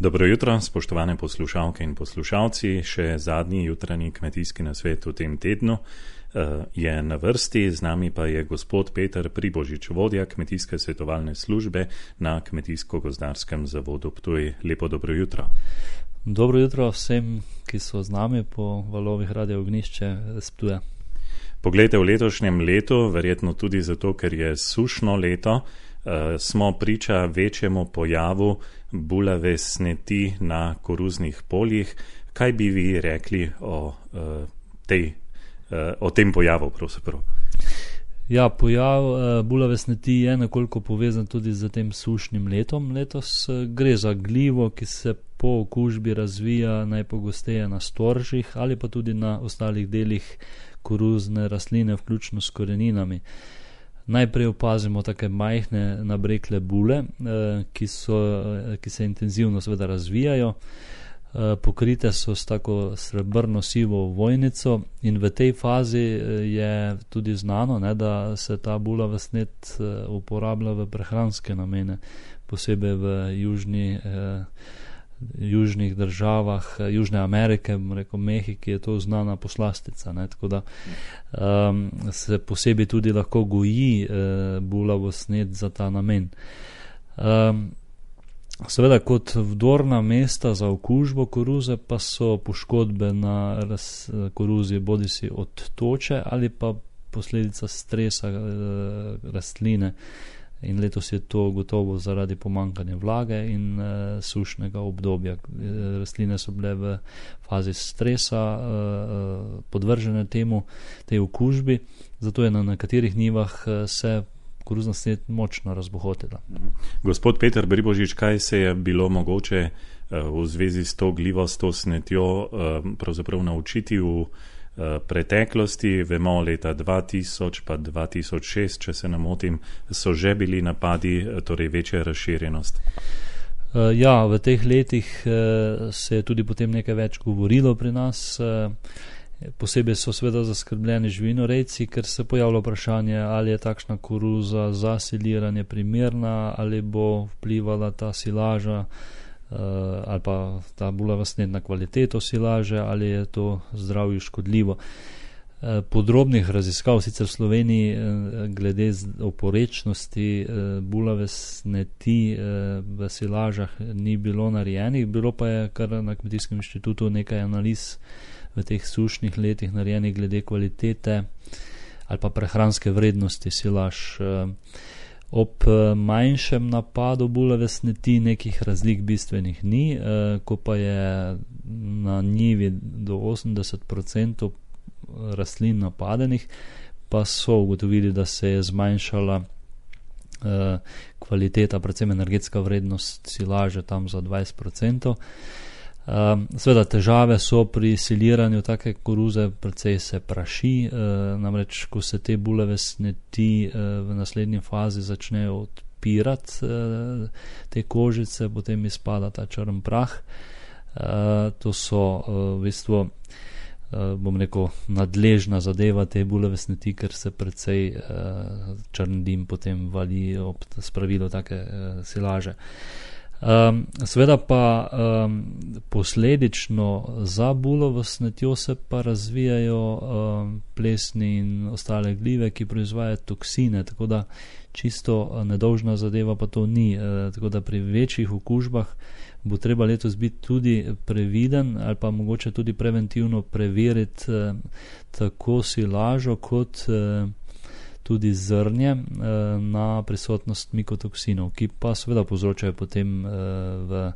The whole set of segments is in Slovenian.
Dobro jutro, spoštovane poslušalke in poslušalci. Še zadnji jutranji kmetijski nasvet v tem tednu je na vrsti. Z nami pa je gospod Peter Pribožič, vodja kmetijske svetovalne službe na Kmetijsko-gozdarskem zavodu Ptuj. Lepo dobro jutro. Dobro jutro vsem, ki so z nami po valovih Radio Ognjišče z Ptuja. Poglejte, v letošnjem letu, verjetno tudi zato, ker je sušno leto, smo priča večjemu pojavu bulave sneti na koruznih poljih. Kaj bi vi rekli o tem pojavu pravzaprav? Ja, pojav bulave sneti je nekoliko povezan tudi z tem sušnim letom. Letos gre za glivo, ki se po okužbi razvija najpogosteje na storžih ali pa tudi na ostalih delih koruzne rastline, vključno s koreninami. Najprej opazimo take majhne nabrekle bule, ki se intenzivno seveda razvijajo. Pokrite so s tako srebrno-sivo vojnico in v tej fazi je tudi znano, da se ta bulava snet uporablja v prehranske namene, posebej v južnih državah, Južne Amerike, Mehiki je to znana poslastica, tako da se posebej tudi lahko goji bulavo snet za ta namen. Seveda kot vdorna mesta za okužbo koruze pa so poškodbe na koruzi bodisi od toče ali pa posledica stresa rastline. In letos je to gotovo zaradi pomanjkanja vlage in sušnega obdobja. Rastline so bile v fazi stresa podvržene tej okužbi, zato je na nekaterih njivah se koruzna snet močno razbohotila. Gospod Peter Pribožič, kaj se je bilo mogoče v zvezi s to glivosto snetjo pravzaprav naučiti v preteklosti? Vemo, leta 2000 pa 2006, če se ne motim, so že bili napadi, torej večja razširjenost. Ja, v teh letih se je tudi potem nekaj več govorilo pri nas. Posebej so seveda zaskrbljeni živinorejci, ker se pojavlja vprašanje, ali je takšna koruza za siliranje primerna, ali bo vplivala ta silaža ali pa ta bulava snet na kvaliteto silaže, ali je to zdravju škodljivo. Podrobnih raziskav sicer v Sloveniji glede oporečnosti bulave sneti v silažah ni bilo narejenih, bilo pa je kar na Kmetijskem inštitutu nekaj analiz v teh sušnih letih narejenih glede kvalitete ali pa prehranske vrednosti silaž. Ob manjšem napadu bulave sneti nekih razlik bistvenih ni, ko pa je na njivi do 80% rastlin napadenih, pa so ugotovili, da se je zmanjšala kvaliteta, predvsem energetska vrednost silaže tam za 20%. Seveda težave so pri siliranju take koruze, precej se praši, namreč ko se te bulave sneti v naslednji fazi začnejo odpirati te kožice, potem izpada ta črn prah. To so v bistvu, bom rekel, nadležna zadeva te bulave sneti, ker se precej črn dim potem vali ob spravilu take silaže. Seveda pa posledično za bulavo snetjo se pa razvijajo plesni in ostale glive, ki proizvajajo toksine, tako da čisto nedolžna zadeva pa to ni. Tako da pri večjih okužbah bo treba letos biti tudi previden ali pa mogoče tudi preventivno preveriti tako silažo kot tudi zrnje na prisotnost mikotoksinov, ki pa seveda povzročajo potem v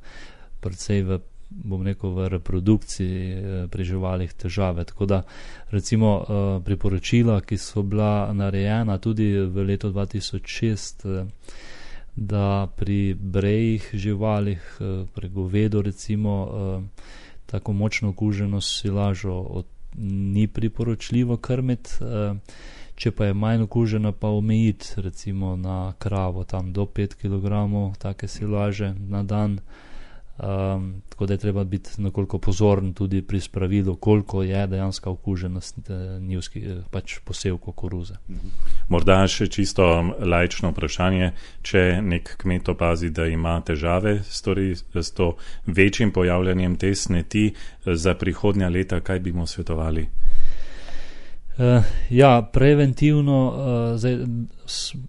reprodukciji pri živalih težave. Tako da recimo priporočila, ki so bila narejena tudi v letu 2006, da pri brejih živalih, pri govedu recimo, tako močno okuženo silažo ni priporočljivo krmiti. Če pa je manj okužena, pa omejiti recimo na kravo tam do 5 kg take silaže na dan. Tako da je treba biti nekoliko pozoren tudi pri spravilu, koliko je dejanska okuženost pač posevkov koruze. Morda še čisto laično vprašanje, če nek kmet opazi, da ima težave s to večjim pojavljanjem te sneti za prihodnja leta, kaj bi mu svetovali? Preventivno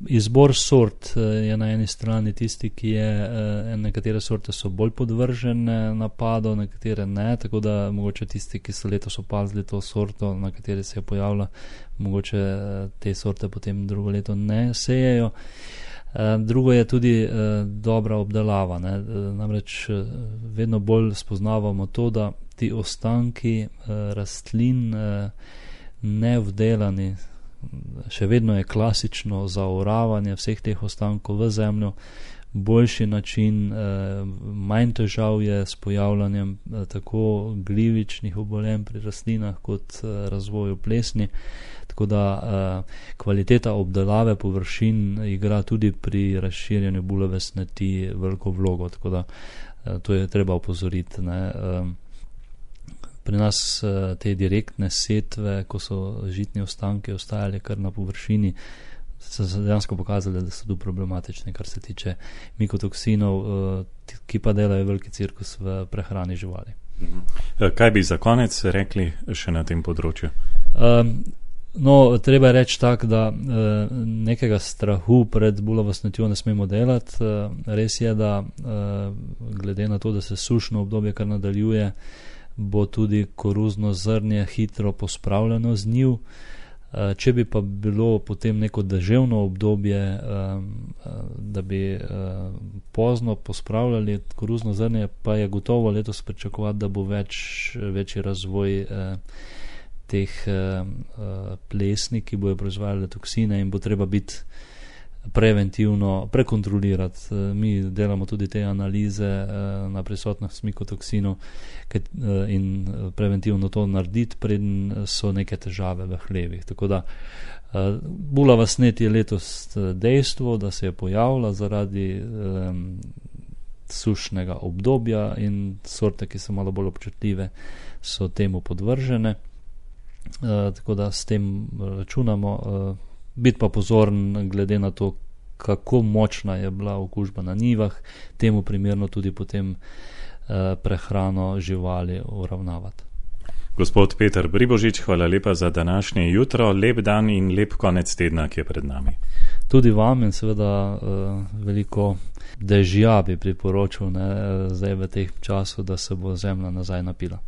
izbor sort je na eni strani tisti, ki je, nekatere sorte so bolj podvržene napadu, nekatere ne, tako da mogoče tisti, ki so letos opazili to sorto, na kateri se je pojavila, mogoče te sorte potem drugo leto ne sejejo. Drugo je tudi dobra obdelava, ne? Namreč vedno bolj spoznavamo to, da ti ostanki rastlin nevdelani, še vedno je klasično zaoravanje vseh teh ostankov v zemljo, boljši način, manj težav je s pojavljanjem tako glivičnih obolenj pri rastlinah kot razvoju plesni, tako da kvaliteta obdelave površin igra tudi pri razširjanju bulave sneti veliko vlogo, tako da to je treba opozoriti, ne. Pri nas te direktne setve, ko so žitni ostanki ostajali kar na površini, so se dejansko pokazali, da so tu problematični, kar se tiče mikotoksinov, ki pa delajo veliki cirkus v prehrani živali. Kaj bi za konec rekli še na tem področju? Treba je reči tako, da nekega strahu pred bulavo snetjo ne smemo delati. Res je, da glede na to, da se sušno obdobje kar nadaljuje, bo tudi koruzno zrnje hitro pospravljeno z njiv. Če bi pa bilo potem neko deževno obdobje, da bi pozno pospravljali koruzno zrnje, pa je gotovo letos pričakovati, da bo večji razvoj teh plesni, ki bojo proizvajali toksine in bo treba biti preventivno prekontrolirati. Mi delamo tudi te analize na prisotnost mikotoksinov in preventivno to narediti, preden so neke težave v hlevih. Tako da bulava snet je letos dejstvo, da se je pojavila zaradi sušnega obdobja in sorte, ki so malo bolj občutljive, so temu podvržene. Tako da s tem računamo. Biti pa pozoren glede na to, kako močna je bila okužba na njivah, temu primerno tudi potem prehrano živali uravnavati. Gospod Peter Bribožič, hvala lepa za današnje jutro, lep dan in lep konec tedna, ki je pred nami. Tudi vam in seveda veliko dežja bi priporočil, ne, zdaj v teh času, da se bo zemlja nazaj napila.